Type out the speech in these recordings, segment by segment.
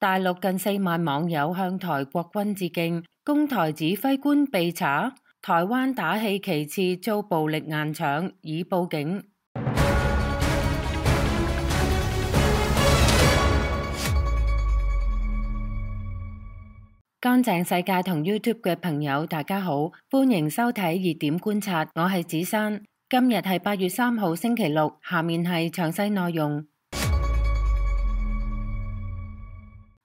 大陸近4萬網友向台國軍致敬，攻台指揮官被查，台灣打氣旗幟遭暴力硬搶，已報警。乾淨世界同 YouTube 嘅朋友大家好，歡迎收睇熱點觀察，我係子珊。今日係8月3號星期六，下面係詳細內容。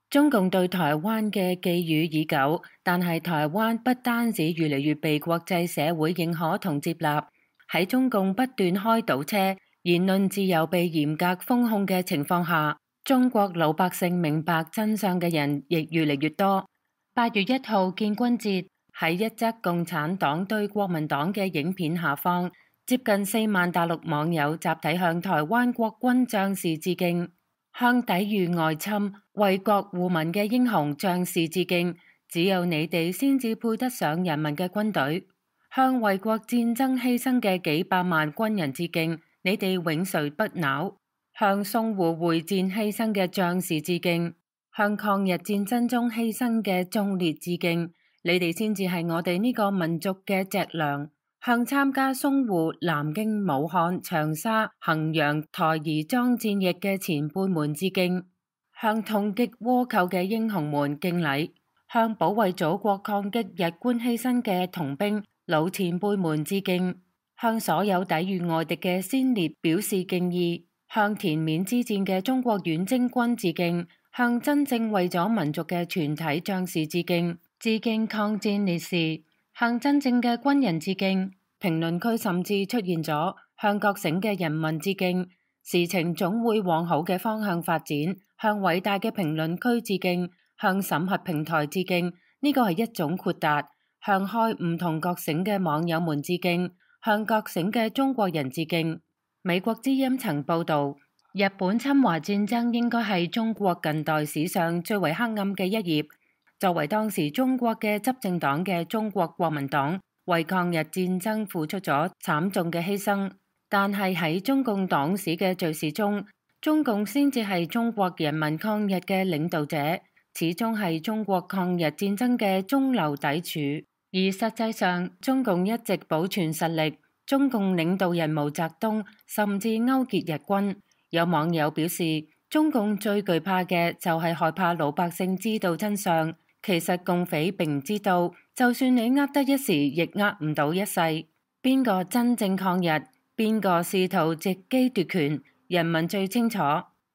中共對台灣嘅寄語已久，但係台灣不單止越嚟越被國際社會認可同接納，喺中共不斷開倒車、言論自由被嚴格封控嘅情況下，中國老百姓明白真相嘅人亦越嚟越多。8月1號建軍節，喺一則共產黨對國民黨嘅影片下方，接近4萬大陸網友集體向台灣國軍將士致敬。向抵禦外侵、為國護民嘅英雄將士致敬，只有你哋先至配得上人民嘅軍隊。向為國戰爭犧牲嘅幾百萬軍人致敬，你哋永垂不朽。向淞滬會戰犧牲嘅將士致敬，向抗日戰爭中犧牲嘅忠烈致敬，你哋先至係我哋呢個民族嘅脊樑。向參加淞滬、南京、武漢、長沙、衡陽、台兒莊戰役嘅前輩們致敬，向痛擊倭寇嘅英雄們敬禮，向保衛祖國抗擊日官犧牲嘅童兵老前輩們致敬，向所有抵禦外敵嘅先烈表示敬意，向滇緬之戰嘅中國遠征軍致敬，向真正為咗民族嘅全體將士致敬，致敬抗戰烈士。向真正嘅軍人致敬。評論區甚至出現咗向覺醒嘅人民致敬，事情總會往好嘅方向發展。向偉大嘅評論區致敬，向審核平台致敬，呢個係一種豁達。向開唔同覺醒嘅網友們致敬，向覺醒嘅中國人致敬。美國之音曾報道，日本侵華戰爭應該係中國近代史上最為黑暗嘅一頁。作為當時中國嘅執政黨嘅中國國民黨，為抗日戰爭付出咗慘重嘅犧牲，但係喺中共黨史嘅敘事中，中共先至係中國人民抗日嘅領導者，始終係中國抗日戰爭嘅中流砥柱。而實際上，中共一直保存實力，中共領導人毛澤東甚至勾結日軍。有網友表示，中共最懼怕嘅就係害怕老百姓知道真相。其實共匪並唔知道，就算你呃得一時，亦呃唔到一世。邊個真正抗日，邊個試圖藉機奪權，人民最清楚。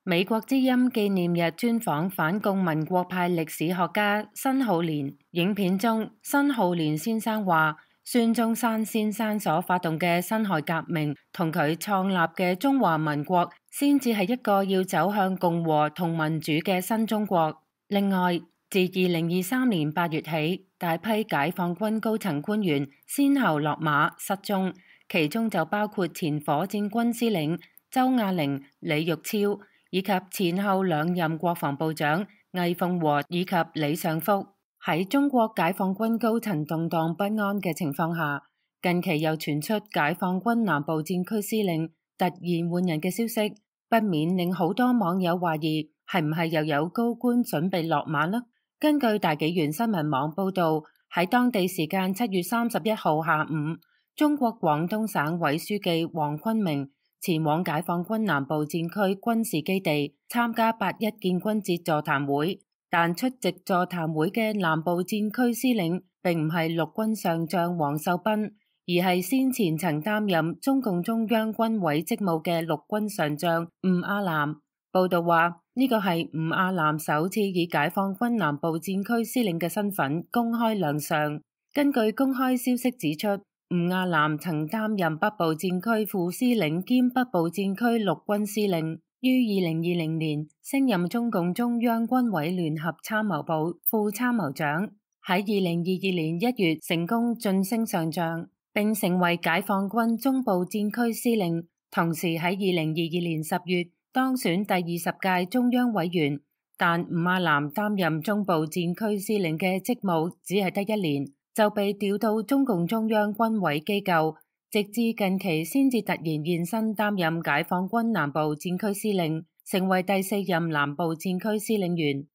美國之音紀念日專訪反共民國派歷史學家辛浩年，影片中辛浩年先生話，孫中山先生所發動嘅辛亥革命同佢創立嘅中華民國，先至係一個要走向共和同民主嘅新中國。另外，自2023年8月起，大批解放軍高層官員先後落馬失蹤，其中就包括前火箭軍司令周亞玲、李玉超，以及前後2任國防部長魏鳳和以及李尚福。喺中國解放軍高層動盪不安嘅情況下，近期又傳出解放軍南部戰區司令突然換人嘅消息，不免令好多網友懷疑係唔係又有高官準備落馬呢？根據大紀元新聞網報道，喺當地時間7月31號下午，中國廣東省委書記黃坤明前往解放軍南部戰區軍事基地參加8·1建軍節座談會，但出席座談會嘅南部戰區司令並唔係陸軍上將王秀斌，而係先前曾擔任中共中央軍委職務嘅陸軍上將吳亞南。報道話，呢個係吳亞南首次以解放軍南部戰區司令嘅身份公開亮相。根據公開消息指出，吳亞南曾擔任北部戰區副司令兼北部戰區陸軍司令，於2020年升任中共中央軍委聯合參謀部副參謀長，喺2022年1月成功晉升上將，並成為解放軍中部戰區司令，同時喺2022年10月當選第20屆中央委員，但吳亞南擔任中部戰區司令嘅職務只係得1年，就被調到中共中央軍委機構，直至近期先至突然現身擔任解放軍南部戰區司令，成為第4任南部戰區司令員。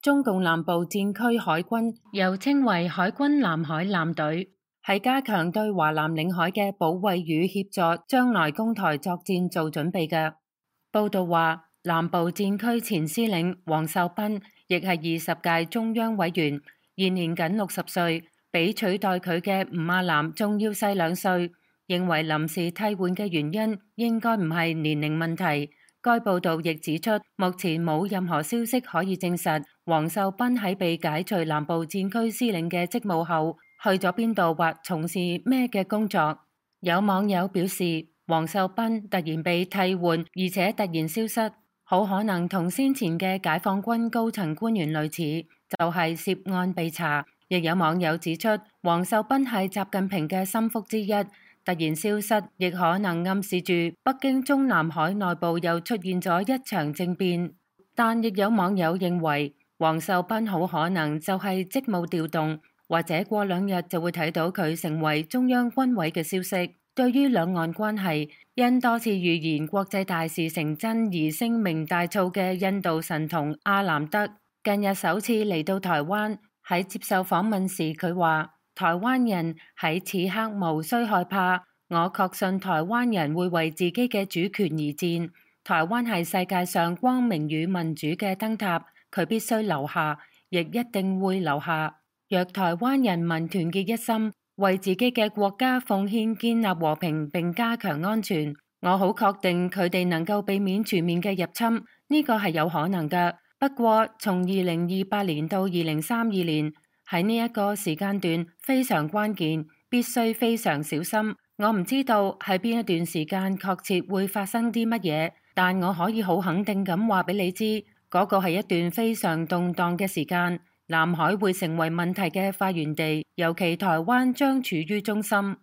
中共南部戰區海軍又稱為海軍南海艦隊，係加強對華南領海嘅保衛與協助將來攻台作戰做準備嘅。報道話，南部戰區前司令王秀斌亦係20屆中央委員，現年僅60歲，比取代佢嘅吳亞南仲要細2歲。認為臨時替換嘅原因應該唔係年齡問題。該報道亦指出，目前冇任何消息可以證實王秀斌喺被解除南部戰區司令嘅職務後去咗邊度或從事咩嘅工作。有網友表示，王秀斌突然被替換，而且突然消失，好可能同先前嘅解放軍高層官員類似，就係涉案被查。亦有網友指出，王秀斌係習近平嘅心腹之一。突然消失，亦可能暗示住北京中南海內部又出現咗一場政變。但亦有網友認為，王秀斌好可能就係職務調動，或者過2日就會睇到佢成為中央軍委嘅消息。對於兩岸關係，因多次預言國際大事成真而聲名大噪嘅印度神童阿南德，近日首次嚟到台灣。喺接受訪問時，佢話：台灣人喺此刻無需害怕，我確信台灣人會為自己嘅主權而戰。台灣係世界上光明與民主嘅燈塔，佢必須留下，亦一定會留下。若台灣人民團結一心，為自己嘅國家奉獻建立和平並加強安全，我好確定佢哋能夠避免全面嘅入侵，呢個係有可能㗎。不過從2028年到2032年，喺呢一個時間段非常關鍵，必須非常小心。我唔知道喺邊一段時間確切會發生啲乜嘢，但我可以好肯定咁話俾你知，嗰個係一段非常動盪嘅時間。南海會成為問題嘅發源地，尤其台灣將處於中心。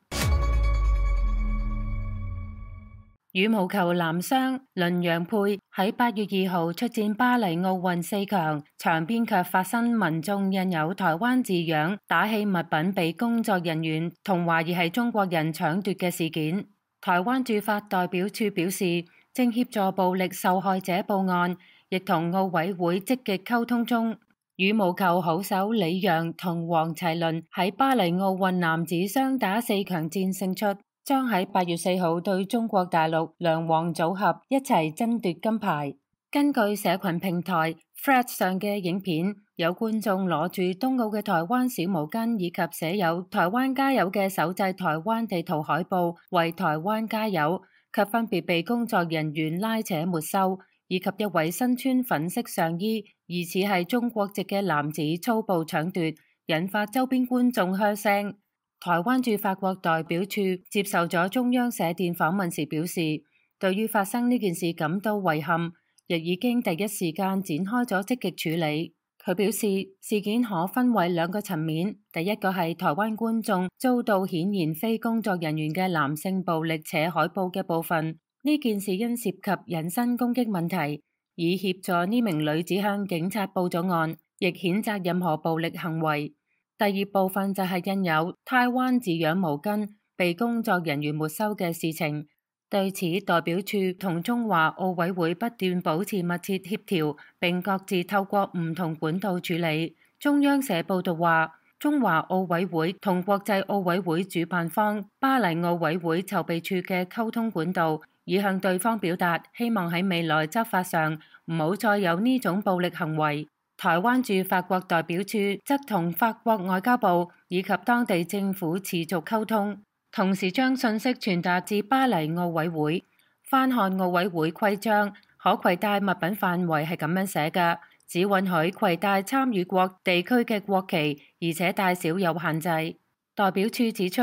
羽毛球男雙麟洋配喺8月2號出戰巴黎奧運4強，場邊卻發生民眾印有台灣字樣打氣物品被工作人員同懷疑係中國人搶奪嘅事件。台灣駐法代表處表示，正協助暴力受害者報案，亦同奧委會積極溝通中。羽毛球好手李洋同王齊麟喺巴黎奧運男子雙打4強戰勝出，將喺8月4號對中國大陸梁王組合一齊爭奪金牌。根據社群平台 Threads 上嘅影片，有觀眾攞住東奧嘅台灣小毛巾以及寫有台灣加油嘅手製台灣地圖海報為台灣加油，卻分別被工作人員拉扯沒收，以及一位身穿粉色上衣疑似係中國籍嘅男子粗暴搶奪，引發周邊觀眾噓聲。台灣駐法國代表處接受咗中央社電訪問時表示，對於發生呢件事感到遺憾，亦已經第一時間展開咗積極處理。佢表示，事件可分為2個層面，第一個係台灣觀眾遭到顯然非工作人員嘅男性暴力扯海報嘅部分，呢件事因涉及人身攻擊問題，以協助呢名女子向警察報咗案，亦譴責任何暴力行為。第2部分就係印有台灣字樣毛巾被工作人員沒收嘅事情。對此，代表處同中華奧委會不斷保持密切協調，並各自透過唔同管道處理。中央社報道話，中華奧委會同國際奧委會主辦方巴黎奧委會籌備處嘅溝通管道，已向對方表達希望喺未來執法上唔好再有呢種暴力行為。台灣駐法國代表處則同法國外交部以及當地政府持續溝通，同時將信息傳達至巴黎奧委會。翻看奧委會規章，可攜帶物品範圍係咁樣寫嘅，只允許攜帶參與國地區嘅國旗，而且大小有限制。代表處指出，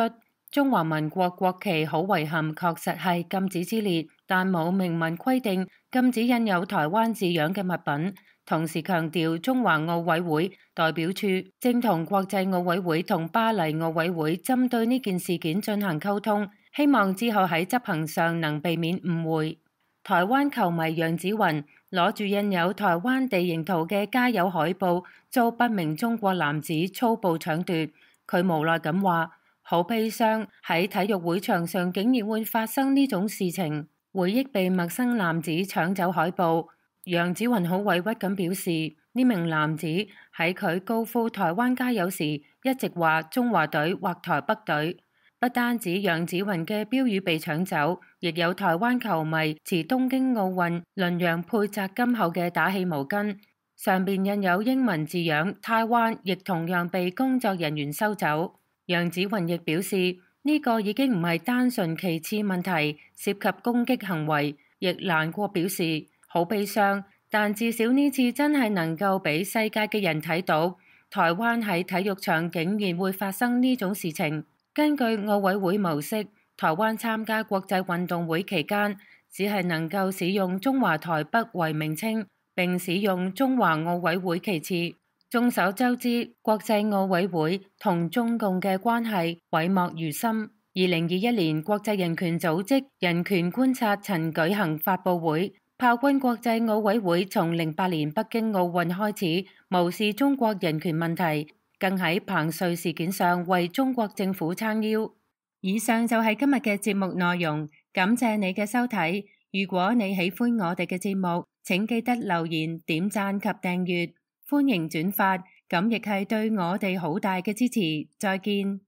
中華民國國旗好遺憾確實係禁止之列，但冇明文規定禁止印有台灣字樣嘅物品。同時強調，中華奧委會代表處正同國際奧委會同巴黎奧委會針對呢件事件進行溝通，希望之後喺執行上能避免誤會。台灣球迷楊子雲攞住印有台灣地形圖嘅加油海報，遭不明中國男子粗暴搶奪。佢無奈咁話：好悲傷，喺體育會場上竟然會發生呢種事情。回憶被陌生男子搶走海報，楊子雲好委屈咁表示，呢名男子喺佢高呼台灣加油時，一直話中華隊或台北隊。不單止楊子雲嘅標語被搶走，亦有台灣球迷持東京奧運麟洋配摘金後嘅打氣毛巾，上邊印有英文字樣台灣，亦同樣被工作人員收走。楊子雲亦表示，呢個已經唔係單純旗幟問題，涉及攻擊行為，亦難過表示好悲傷。但至少呢次真係能夠俾世界嘅人睇到，台灣喺體育場竟然會發生呢種事情。根據奧委會模式，台灣參加國際運動會期間，只係能夠使用中華台北為名稱，並使用中華奧委會旗幟。眾所周知，國際奧委會同中共嘅關係諱莫如深。2021年，國際人權組織人權觀察曾舉行發佈會，炮轟國際奧委會從08年北京奧運開始無視中國人權問題，更喺彭帥事件上為中國政府撐腰。以上就係今日嘅節目內容，感謝你嘅收睇。如果你喜歡我哋嘅節目，請記得留言、點讚及訂閱，歡迎轉發，咁亦係對我哋好大嘅支持。再見。